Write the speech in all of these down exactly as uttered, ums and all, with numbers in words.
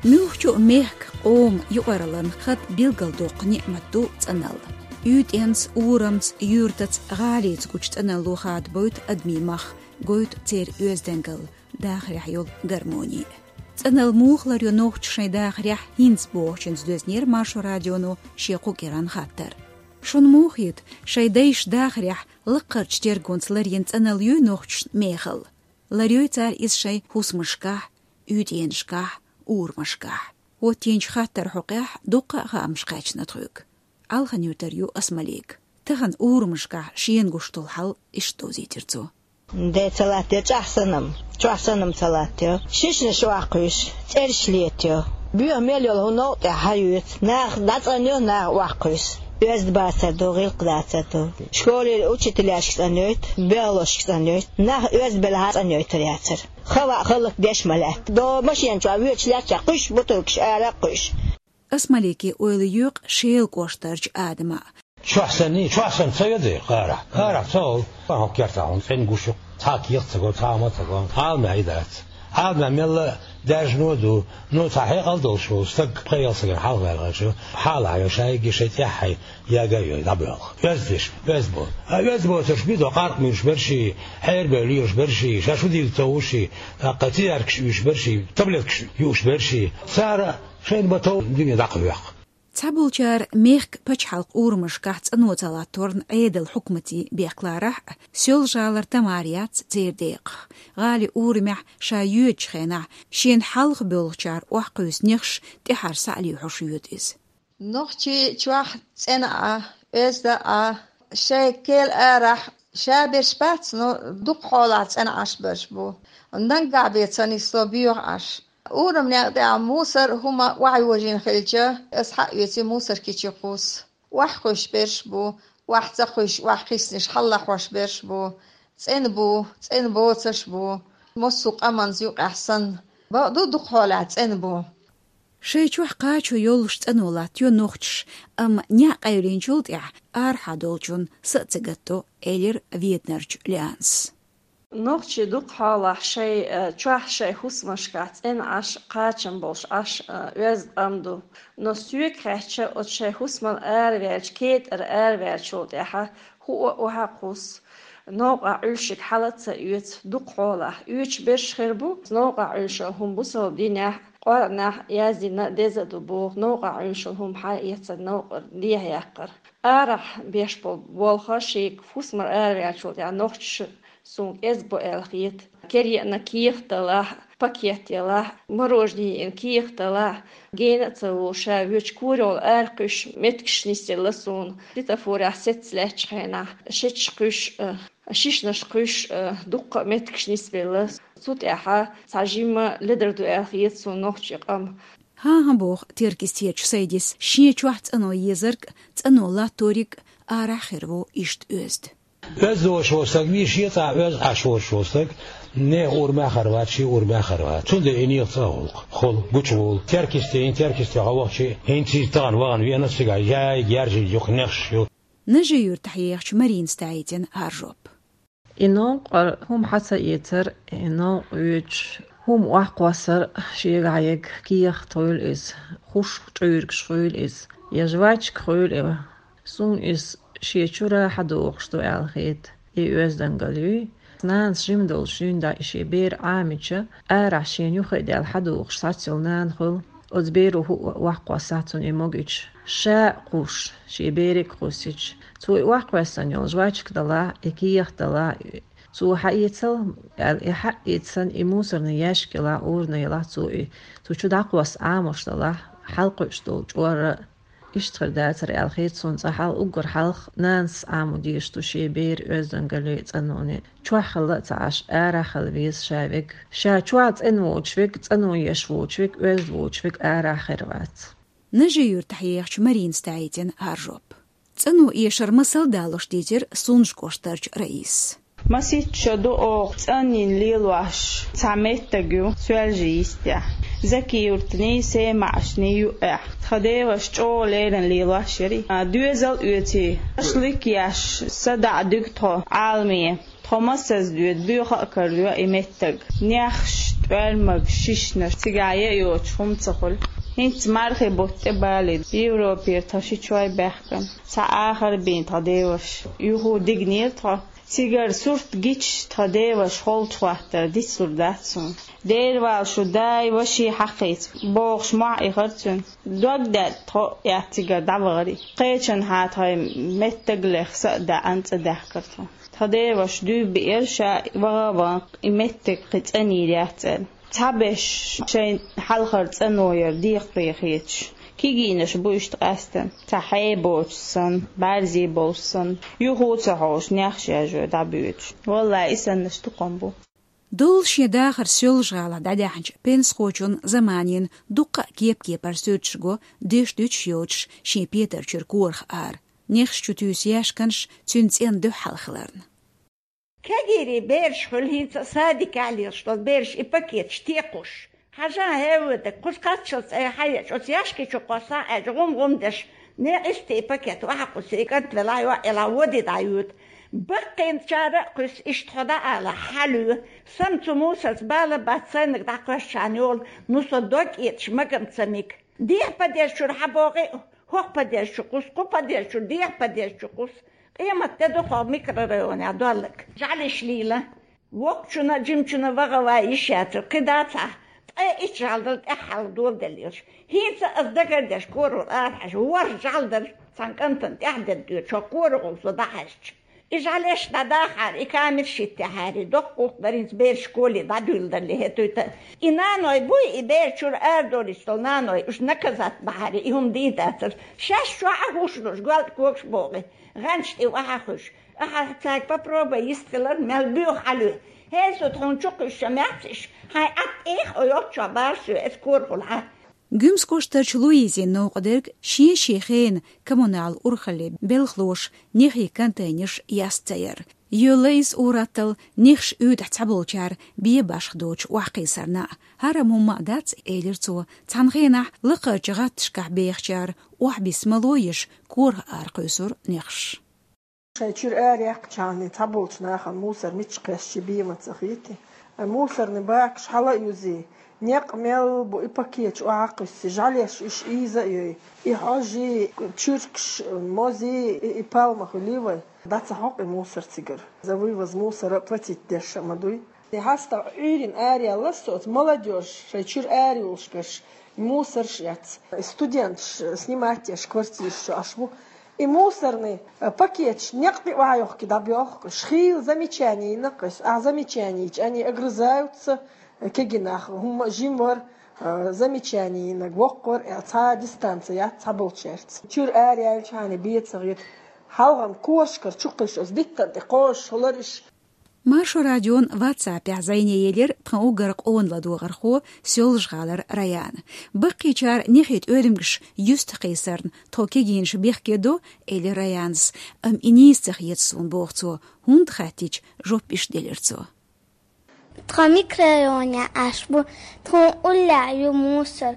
Муьлххачу а мехка, къоман юкъараллин хатӀ билгалдоккху неӀмат ду цӀаналла. УьйтӀенца, урамца, юьртаца, гӀалица гучу цӀаналло хадабойту адамийн мах, гойту церан оьздангалла, дахарехь йолу гармони. ЦӀаналла муха ларйо нохчаша шайн дахарехь, хӀинца бохучуьнца доьзнера Маршо радионо шен кху кӀиранан хаттар. Шуна муха хета, шайн дайша дахарехь лаккхарчу тергонца ларйина цӀаналла юй нохчашна мехала? Ларйой цара иза шайн хӀусамашкахь, уьйтӀенашкахь, урамашкахь? ХӀоттийначу хаттаран хьокъехь дуккха а хаамаш кхаьчна тхоьга. Алхан-Юьртара ю Асмалик. Тахана урамашкахь шена гуш долу хьал иштта довзийтира цо. Де ца латтайо, чӀагӀ санна-м, чохь санна-м ца латтайо. Шишнаш охьакхуьйсу, цӀераш летайо. Боьха мел йолу хӀума новкъа тӀехь хьаоьцу. Нах дӀацӀанйо, нах охьакхуьйсу. Оьзда бацар ду, гӀиллакх дацар ду. Школера учителяшка цӀанйойту, белхалошка цӀанйойту. Нах оьзда белахь а цӀанйойтур яцара. Хава а хӀаллакдеш ма лаьтта. До машен чохь воьдуш лаьттачохь кхуьйсу бутулкаш, ара а кхуьйсу. Асмалике ойла йоькъу Шелан кӀоштарчу Адама. Чохь санний, чохь санна ца йо дера, кхарахь, кхарахь ца олу. Хьо кертахь хьуна цӀена гуш ю, цхьа кехат ца го, цхьа хӀума ца го, Ӏаламехь и дац. Ӏаламехь мелла а даьржано а ду, ну, цхьа хьекъал долуш волу стаг пхеа ялсагана хьалха ваьлла хьаьжча, хьалахьа йо, шайгга шайн тӀаьххье яга а йой, дӀабоьлху. Оьзда деш, оьзда бо. А оьзда боцурш бу до къаркъа муьйлуш берш и, хьерабевлла лелаш берш и, ша шу дилла ца вуш и, тӀаккха цигаркаш уьйш берш и, таблеткаш юуш берш и. Цара шайна бан тов дуьне дӀакхайоккху. Цхьаболчара мехкан пачхьалкхан урамашкахь цӀано ца латторна Ӏедалан хьукматийн бехк ларахь а, Соьлжа-ГӀалара Тамара яц церан декъах. ГӀалин урамехь ша йоьдучу хенахь, шена хьалха боьлхучара охьакхуьйсу нехаш тӀаьхьара схьа а лоьхуш йоьду иза. Нохчий чохь цӀена а, оьзда а, шайн кел арахь ша берш бац, но дукха хьолахь цӀена Ӏаш берш бу. Наггахь бен ца нисло боьха Ӏаш. Урам некъа тӀехь мусар а хӀума охьайожийна хилча, аса схьа а оьций мусаркичи кхуссу. Охьакхуьйсуш берш бу, охьа ца кхуьйсуш, охьакхиссинарш хьалалахьош берш бу. ЦӀена бу, цӀена боцурш бу. Массо а къаманца юкъехь санна. Бакъду, дукха хьолахь цӀена бу. Шайн чохь кхачо йолуш цӀано латтайо нохчаш, амма неӀ къайлинчул тӀаьхьа арахьа долчунна са а ца гатдо, элира Веданарчу Лианас. Нохчий дукха хьолахь шайн, э, чохь шайн хӀусамашкахь цӀена Ӏаш, кхачам болуш Ӏаш, э, оьзда къам ду. Но соьга хаьттича, оцу шайн хӀусамал араваьлча, кетӀара араваьллачул тӀаьхьа хӀуъа а охьа а кхуссу. Новкъахь Ӏуьллушиг хьала а ца оьцу, дукха хьолахь оьцуш берш хир бу. Новкъахь Ӏуьллуш хӀума бусалба динехь, Къуръанехь яздина деза а ду боху, новкъахь Ӏуьллуш хӀума хьаэцар, новкъара дехьа яккхар. Арахь беш болу болх шега хӀусамал араваьллачул тӀаьхьа нохчаша суна кӀезиг бу аьлла хета. Кер еана кехат далахь, пакет ялахь, мороженое еана кехат далахь, гена а ца волуш, ша воьдуш корайолу аракхуьйсуш меттигаш нисъелла суна. Светофорехь сецца лаьттачу хенахь, шеташ кхуьйсуш, э, шишнаш кхуьйсуш, э, дуккха а меттигаш нисбелла. Цу тӀаьхьа цхьа жимма ледар ду аьлла хета суна нохчийн къам. ХӀан-хӀа, боху Теркйистерчу Сайдис, шен чохь цӀано езарг а, цӀано латториг а арахь хир ву иштта оьзда. Оьзда волуш волу стаг вий, шен цӀахь оьзда Ӏаш волуш волу стаг, нехан урамехь хир вац, шен урамехь хир вац. Цундела и нехан цӀа а гӀуллакх, хула, гучугӀула. Теркйисте, хӀинца Теркйисте хьо вахча, хӀинца иза тахана вахана веана, цигахь яйга, яьржина юха нехаш ю. Нажи-Юьртахь ехачу Маринас даийтина хӀара жоп. И новкъара хӀума хьа ца эцар, и новкъа воьдуш хӀума охьакхоссар, шегахь ерг кехат хуьлу иза, хуш чкъуьйригаш хуьлу иза, я жвачка хуьлу и. Суна иза шен чуьра хьадохуш ду аьлла хета, и оьздангалла юй. Нанас жима долуш дуьйна дӀа и шен бер Ӏамийча, арахь шена юххе а даьлла хьадохуш схьацйолу нана хуьлу. Оцу беро хӀуъа охьакхоссахь цунна и могуьйтуш, ша а кхуссуш, шен берег а кхуссуьйтуш. Цо и охьакхоьссина йолу жвачка далахь, и кехат далахь, цо хьаэцал аьлла, и хьаэцна, и мусорный ящик ялахь, урна ялахь, цо и цу чу дӀакхосса Ӏамош далахь, хьалакхуьуш долу чкъор а. Иштта хир дацара аьлла хета суна цкъа хьалха, уггар хьалха нанас Ӏамо дезаш ду шен беран оьздангалле а, цӀаноне а. Чохь хилла а ца Ӏаш, арахь хила веза ша верг. Ша чохь цӀена воцуш верг, цӀано еш воцуш верг, оьзда воцуш верг арахь хир вац. Нажи-Юьртахь ехачу Маринас даийтина хӀара жоп. ЦӀано эшар масал а далош дийцира Сунжа кӀоштарчу Раисас. Масийтта шо ду оха цӀанйина лелош цхьа меттиг ю Соьлжа-Юьртахь. Закиевтаний, Семаьшний юкъехь. Тхан деваша чӀогӀа леррина лелош яра и. А, доьзал а оьций, аша лик еш, садаӀа дуьгу тхо Ӏаламе. Тхо массаза доьду, боьха а карайо и меттиг. Нехаш Пальмаг шишнаш цигахь яа йоцуш хӀума ца хуьлу. ХӀинца мархи бутт тӀе балийна, Европера тхан ши чой баьхкина. Цхьа ахар бийна тхан деваш. Юху дигнера тхо. Цигара сурт гича тхан деваш холчу хӀоттар дицлур дац суна. Дера вала шу дай, ваши хьакхийца, бохуш мохь ихара цуьнан. Дог даьтта тхо а яц цигара дӀавахара. Кхечанхьа тхайн меттаглех са а даьӀна цӀа даьхкара тхо. Тхан деваш дуьйбиира ша ваха а ваха, и меттиг кхин цӀанйийр яц аьлла. Цхьаберш шайн хьалхара цӀано яра декхаре хеташ. Кегийнаш бу иштта къаьстина, цхьа хье боцуш санна, бӀаьрзе болуш санна, юха а ца хьожуш, нехаш яжой дӀабоьдуш. Валлай, и саннаш дукха бу. Доллу шен дахар Соьлжа-ГӀалахь дӀадаьхьначу пенсахочун заманийн дуккха а кеп-кепара суьрташ го, деш дуьтуш йоцуш шен петар чуьра корах ара. Нехаш чу туьйсу яьшканаш цуьнан цӀенна дуьхьал хиларна. Кегийрийн бераш хуьлу хӀинца а садикехь лелаш долу бераш и пакеташ текхуш. Хьажа, хӀевве дерг, кхуза кхаччалц айхьа а ечу, оцу яьшки чу кхоссахь аьлча, гӀум-гӀум деш, некъ истий и пакет охьа кхуссий, и кӀант велахь, йоӀ елахь, води дӀаюьту. Баккхийчара а кхуьссу, иштта хьо дӀаала, хьалуьйла. Сан цу мусарца бала бац, сайниг дӀакхоьссачарна йолу, ну со дог эташ магам ца миг. Дехьа падежа чуьра хьабогӀий, хӀокху падежа чу кхуссу, кху падежа чуьра дехьа падежа чу кхуссу. Къемат де ду хьо микрорайонехь долларг. ЖӀаьлеш лийла. Воккхачунна а, жимачунна а ваха ван йиш яцара, кхин дацахь, ткъе итт жӀаьла дара тӀаьххьара доладелла йолуш. ХӀинца а ас дагардеш корахула арахьаьжча, ворхӀ жӀаьла дара цхьана кӀантана тӀаьхьадерг доьдуш, хьо корахула со дӀахьаьжча. И жӀаьлеш дӀадахьара, и камераш хӀиттахьара, доккха гӀуллакх дара хӀинца бераш школе дӀадуьйладалле хӀетуьйту. И наной буй, и бер чуьра арадолуьйтуш долу наной, уьш наказать бахьара, и хӀума дийр дацара. Шаьш чохь а хӀуш луш, гоьлтӀа когаш богӀий, гӀанча тӀе охьа а хуьлуш. Ахьа цаьрга попробуй йистхилар, мел боьха хьалуьй. ХӀей, со тхуна чу кхуьссуш ца меца иш, хьайн Ӏад тӀех а йолччохь бара соь, эс корахула хьан. Гуьмсан кӀоштарчу Луизин новкъа дерг шен-шен хенан коммунал урхалле белхалоша нехий контейнерш яста ца яра. Йолла иза ур-атталла нехаш уьйтӀахь цхьаболчара бен башха доцуш охьакхийсарна а. ХӀара хӀумма а дац, элира цо, цхьана хенахь лакхарчу гӀатташкахь бехачара охьабисса мало еш, корах ара кхуьйсура нехаш. Шайн чуьра ара яьккхичхьана цхьаболчу нахана мусор мичча кхесчи бен ма ца хетий. Ай, мусорный бакаш хьала а юзий, некъ мел бу и пакеташ охьа а кхуьссий, жӀаьлеш уьш ийза а йой, и хьожий, чуьркаш, мозий, и, и пальма хуьлий вай. ДӀа ца хьокху и мусор цигара. За вывоз мусора платить деш а ма дуй. И хьаста Ӏуьйрина араяьлла со оцу молодёжь шайн чуьра ара йолушкаш мусорш эц. Студенташ снимать еш квартираш чу Ӏаш бу. И мусорный, э, пакеташ некъ тӀе охьайохкий дӀабоьлху, шхийла замечание йина кхуьссу. Ахьа замечание йича, они огрызаются, э, кегий нах, хӀумма жимвар, э, замечание йинарг воккхавар, э, цхьа дистанция яц цхьаболчаьрца. Чуьра ара яьлчхьана бен ца хета. Хьалхана корашкара чу кхуьссуш, оцу диттан тӀе кхозуш хилар иш. Маршо радион WhatsApp-ехь зӀене елира тхан уггар къона ладогӀархо, Соьлжа-ГӀалара Раяна. Баккхийчара нехий тӀоьрмигаш юьстахкхийсарна тхо кегийнаш бехке до, элира Раянас, амма и нийса ца хета суна, боху цо, хӀунда хаьттича, жоп иштта делира цо. Тхан микрорайонехь Ӏаш бу, тхуна уллехь ю мусор,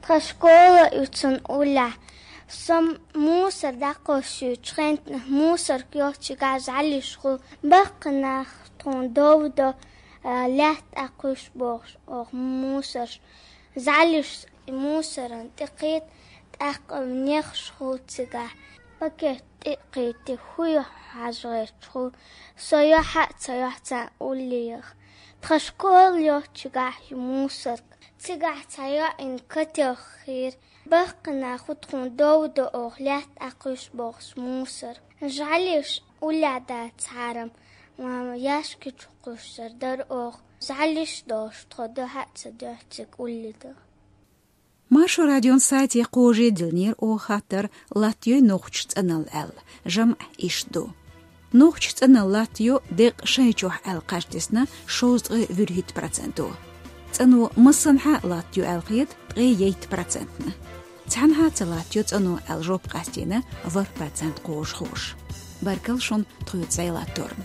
тхан школа а ю цунна уллехь. Со мусор дӀакхоссуьйту хентнах мусорг йолчигахь жӀаьлиш хуьлу, баккхий нах тхуна дов до, а, лаьтта тӀе кхуьссу бохуш оха мусорш. ЖӀаьлиш и мусоран тӀе кхета, тӀаккха нехаш хуьлу цигахь. Пакет тӀе а кхийти, хӀун ю хьажа гӀерташ хуьлу. Со йохьа а ца йохьу царна уллехь. Тхан школа йолчигахь ю мусорг. Цигахь цхьа йоӀана котел хир. Баккхий нах тхуна дов до оха лаьтта тӀе кхуьссу бохуш мусор. ЖӀаьлиш уллехь дацахьара, ма, яьшки чу кхуьссур дара оха. ЖӀаьлиш долуш тхо дуьхьа а ца дуьхьу цига уллехь. Маршо радион сайте кхожий дилнера оха хаттар, латтайой нохчаша цӀаналла аьлла. ЖамӀ иштта ду. Нохчаша цӀаналла латтайо декъа шайн чохь аьлла кхаж тесна шовзткъе вуьрхӀитта проценто. ЦӀано массанхьа латтайо аьлла хета ткъе ейтта процентна. Цхьанхьа ца латтайо цӀано аьлла жоп къастийна ворхӀ процент кхожахоша. Баркалла шуна тхоьца зӀе латторна.